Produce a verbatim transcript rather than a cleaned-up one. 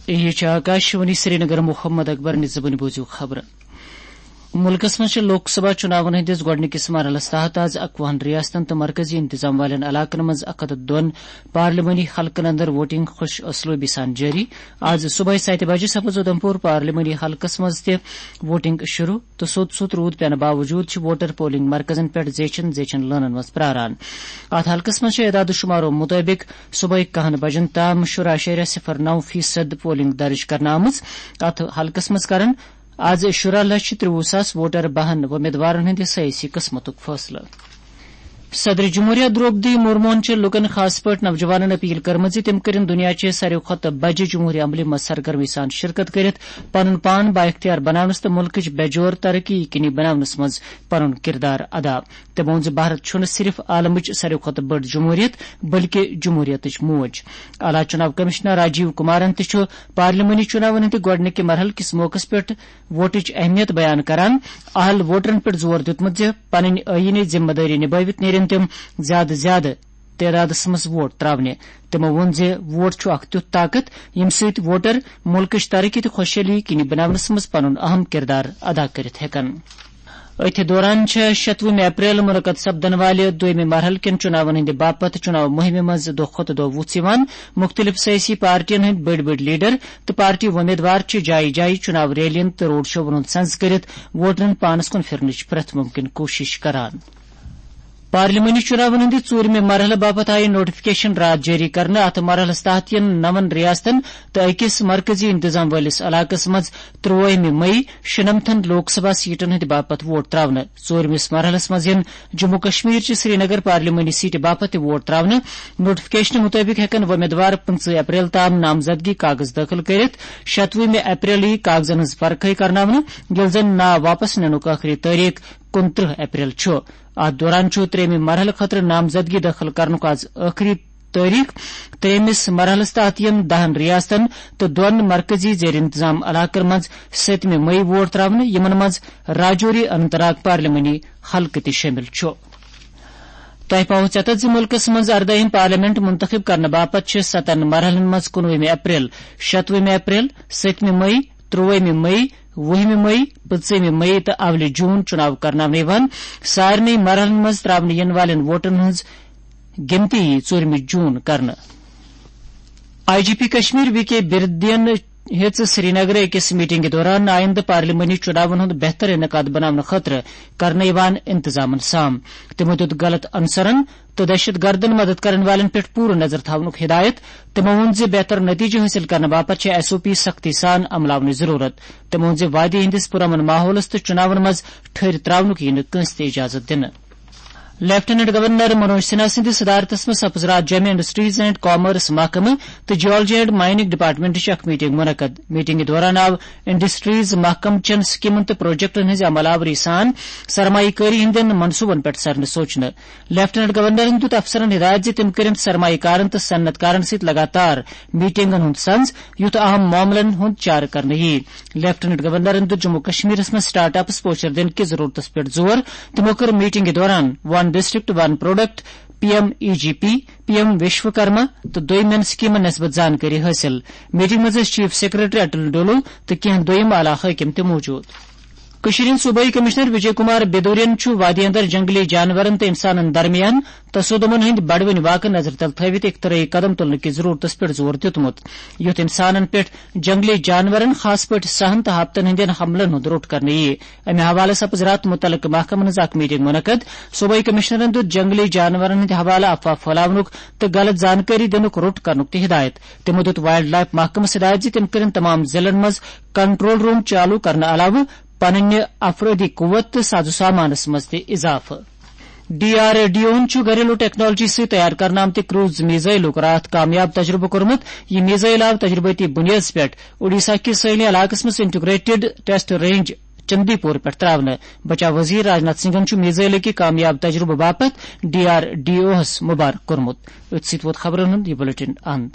یہِ چھِ آکاشوانی سرینگر۔ محمد اکبر نِزبٕنۍ بوٗزِو خبرٕ۔ مُلکَس منٛز چھِ لوک سبھا چُناوَن ہٕنٛدِس گۄڈٕنِکِس مرحلَس تحت آز اَکوُہَن ریاستَن تہٕ مرکزی انتظام والٮ۪ن علاقَن منٛز اَکھ ہَتھ تہٕ دۄن پارلیمانی حلقَن اندر ووٹنگ خوش اسلوبی سان جٲری۔ آز صبحٲے سَتہِ بجہِ سپٕز اُدھمپور پارلیمانی حلقَس منٛز تہِ ووٹنگ شروع تہٕ سوٚت سوٚت روٗد پٮ۪نہٕ باوجوٗد چھِ ووٹر پولنگ مرکزَن پٮ۪ٹھ زیچھن زیچھن لٲنَن منٛز پراران۔ اَتھ حلقَس منٛز چھِ اعداد و شمارو مُطٲبِق صبحٲے کَہَن بجن تام شُراہ اعشاریہ صفر نو فیصد پولنگ درج کرنہٕ آمٕژ۔ اَتھ حلقَس منٛز کرن آز شُراہ لچھ ترٛوُہ ساس ووٹر بہن وۄمیدوارن ہٕنٛدِ سیٲسی قٕسمتُک فٲصلہٕ۔ صدر جمہوریہ درٛوپدی مرموہن چھِ لوٗکن، خاص پٲٹھۍ نوجوانن، اپیل کٔرمٕژ زِ تِم کٔرِن دُنیا چہِ ساروٕے کھۄتہٕ بجہِ جمہوری عملہِ منٛز سرگرمی سان شرکت کٔرِتھ پنُن پان بااختیار بناونس تہٕ مُلکٕچ بے جور ترقی یقینی بناونس منٛز پنُن کردار ادا۔ تٔمۍ ووٚن زِ بھارت چھُنہٕ صرف عالمٕچ ساروٕے کھۄتہٕ بٔڑ جمہوریت، بلکہِ جمہوریتٕچ موج۔ اعلیٰ چُناو کمشنر راجیو کمارن تہِ چھُ پارلیمانی چُناون ہٕنٛدِ گۄڈٕنِکہِ مرحلہٕ کِس موقعس پٮ۪ٹھ ووٹٕچ اہمیت بیان کران اہل ووٹرن پٮ۪ٹھ زور دیُتمُت زِ پنٕنۍ آئینی ذمہ دٲری نبٲوِتھ نیرن تِم زیادٕ زیادٕ تعدادس منٛز ووٹ تراونہِ۔ تِمو ووٚن زِ ووٹ چھُ اکھ تیُتھ طاقت، ییٚمہِ سۭتۍ ووٹر مُلکٕچ ترقی تہٕ خۄشحٲلی یقینی بناونس منٛز پنُن اہم کردار ادا کٔرِتھ ہٮ۪کن۔ أتھۍ دوران چھےٚ شتوُہمہِ اپریل منعقد سپدن والہِ دوٚیمہِ مرحلہٕ کٮ۪ن چُناون ہٕنٛدِ باپتھ چُناو مُہِمہِ منٛز دۄہ کھۄتہٕ دۄہ وُژھ یِوان۔ مُختٔلِف سیٲسی پارٹین ہٕنٛدۍ بٔڑۍ بٔڑۍ لیڈر تہٕ پارٹی وۄمیدوار چھِ جایہِ جایہِ چُناو ریلین تہٕ روڈ شوون ہُنٛد سنز کٔرِتھ ووٹرن پانس کُن پھِرنٕچ پرٛٮ۪تھ مُمکِن کوٗشش کران۔ پارلیمانی چُناون ہٕنٛدِ ژوٗرمہِ مرحلہٕ باپتھ آیہِ نوٹیفکیشن راتھ جٲری کرنہٕ۔ اتھ مرحلس تحت یِن نَوَن ریاستن تہٕ أکِس مرکزی انتظام وٲلِس علاقس منٛز ترٛوٲہمہِ مئی شُنمتھن لوک سبھا سیٹن ہٕنٛدِ باپتھ ووٹ تراونہٕ۔ ژوٗرمِس مرحلس منٛز یِن جموں کشمیر چہِ سرینگر پارلیمانی سیٹہِ باپتھ تہِ ووٹ تراونہٕ۔ نوٹیفکیشنہٕ مُطٲبِق ہٮ۪کن وۄمیدوار پٕنٛژٕہ اپریل تام نامزدگی کاغذ دٲخل کٔرِتھ۔ شتوُہمہِ اپریل یِیہِ کاغذن ہٕنٛز پرکھٲے کرناونہٕ، ییٚلہِ زن ناو واپس نِنُک ٲخری تٲریخ کُنترٕہ اپریل چھُ۔ اتھ دوران چھُ ترٛیٚیمہِ مرحلہٕ خٲطرٕ نامزدگی دٲخل کرنُک آز ٲخری تٲریخ۔ ترٛیٚیمِس مرحلَس تحت یِن دَہَن ریاستَن تہٕ دۄن مرکزی زیر انتظام علاقَن منٛز سٔتمہِ مئی ووٹ تراونہٕ، یِمَن منٛز راجوری اننت ناگ پارلیمانی حلقہٕ تہِ شٲمِل چھُ۔ تۄہہِ پاوو ژٮ۪تَتھ زِ مُلکَس منٛز اَردٲہِم پارلیمنٹ منتخب کرنہٕ باپتھ چھِ سَتَن مرحلَن منٛز کُنوُہمہِ اپریل، شتوُہمہِ اپریل، سٔتمہِ مئی، ترٛوُہمہِ مئی، وُہمہِ مئی، پٕنٛژٕہمہِ مئی تہٕ اولہِ جون چُناو کرناونہٕ یِوان۔ سارنٕے مرحلَن منٛز تراونہٕ یِنہٕ والٮ۪ن ووٹَن ہٕنٛز گِنتی یی ژوٗرمہِ جون کرنہٕ۔ I G P Kashmir V K بِردین ہیٚژ سرینگرٕ أکِس میٹنگہِ دوران آئندٕ پارلیمانی چُناون ہُنٛد بہتر انعقاد بناونہٕ خٲطرٕ کرنہٕ یِوان انتظامن سام۔ تِمو دیُت غلط عنصرن تہٕ دہشت گردن مدد کرن والٮ۪ن پٮ۪ٹھ پوٗرٕ نظر تھاونُک ہدایت۔ تِمو ووٚن زِ بہتر نتیجہٕ حٲصِل کرنہٕ باپتھ چھِ ایس او پی سختی سان عملاونٕچ ضروٗرت۔ تِمو ووٚن زِ وادی ہٕنٛدِس پُرامن ماحولس تہٕ چُناون منٛز ٹھٔہرۍ تراونُک یِیہِ نہٕ کٲنٛسہِ تہِ اجازت دِنہٕ۔ لیفٹیننٹ گورنر منوج سنہا سٕنٛدِس صدارتس منٛز سپٕز راتھ جوٚمہِ انڈسٹریز اینڈ کامرس محکمہٕ تہٕ جیولوجی اینڈ مائننگ ڈپارٹمنٹٕچ اکھ میٹنگ منعقد۔ میٹنگہِ دوران آو انڈسٹریز محکمہٕ چٮ۪ن سکیمن تہٕ پروجیکٹن ہٕنٛزِ عمل آوری سان سرمایہ کٲری ہٕنٛدٮ۪ن منصوبن پٮ۪ٹھ سرنہٕ سوچنہٕ۔ لیفٹیننٹ گورنرن دیُت افسرن ہدایت زِ تِم کٔرِن سرمایہ کارن تہٕ صنعت کارن سۭتۍ لگاتار میٹنگن ہُنٛد سنز، یُتھ اہم معاملن ہُنٛد چارٕ کرنہٕ ییہِ۔ لیفٹیننٹ گورنرن دیُت جموں کشمیرس منٛز سٹارٹ اپس پوچھر دِنہٕ کِس ضرورتس پٮ۪ٹھ زور۔ تِمو کٔر میٹنگہِ دوران ون ڈسٹرکٹ ون پروڈکٹ، پی ایم ای جی پی، پی ایم وشوکرما تہٕ دوٚیمٮ۪ن سکیمن نسبت زانکٲری حٲصِل۔ میٹنگ منٛز ٲسۍ چیف سیکرٹری اٹل ڈولو تہٕ کینٛہہ دوٚیِم اعلیٰ حٲکِم تہِ موجود۔ کٔشیٖرِ ہٕنٛدۍ صوبٲئی کمشنر وجے کمار بیدورین چھُ وادی اندر جنگلی جانورن تہٕ انسانن درمیان تصادمن ہٕنٛدۍ بڑوٕنۍ واقعہٕ نظرِ تل تھٲوِتھ اختراعی قدم تُلنہٕ کِس ضرورتس پٮ۪ٹھ زور دیُتمُت، یُتھ انسانن پٮ۪ٹھ جنگلی جانورن، خاص پٲٹھۍ سہن تہٕ ہاپتن ہٕنٛدٮ۪ن حملن ہُنٛد روٚٹ کرنہٕ یِیہِ۔ امہِ حوالہٕ سپٕز راتھ مُتعلقہٕ محکمن ہٕنٛز اکھ میٹنگ منعقد۔ صوبٲئی کمشنرن دیُت جنگلی جانورن ہٕنٛدِ حوالہٕ افواہ پھٔہلاونُک تہٕ غلط زانکٲری دِنُک روٚٹ کرنُک تہِ ہدایت۔ تِمو دیُت وائلڈ لائف محکمس ہدایت زِ تِم کٔرِن تمام ضلعن منٛز کنٹرول روم چالو کرنہٕ علاوٕ پنٕنہِ افرٲدی قوت تہٕ ساز و سامانس منٛز تہِ اضافہٕ۔ ڈی آر ڈی اوَن چھُ گھریلو ٹیکنالوجی سۭتۍ تیار کرنہٕ آمتہِ کروز میزائلُک راتھ کامیاب تجربہٕ کوٚرمُت۔ یہِ میزائل آو تجربٲتی بُنیادَس پٮ۪ٹھ اوڈیشہ کِس سٲحلی علاقَس منٛز انٹیگریٹڈ ٹیسٹ رینج چندی پور پٮ۪ٹھ تراونہٕ۔ بچاو وزیر راجناتھ سنگھن چھُ میزائل کہِ کامیاب تجربہٕ باپتھ ڈی آر ڈی اوَس مبارک کوٚرمُت۔ أتھۍ سۭتۍ ووت خبرن ہُنٛد یہِ بلیٹن اند۔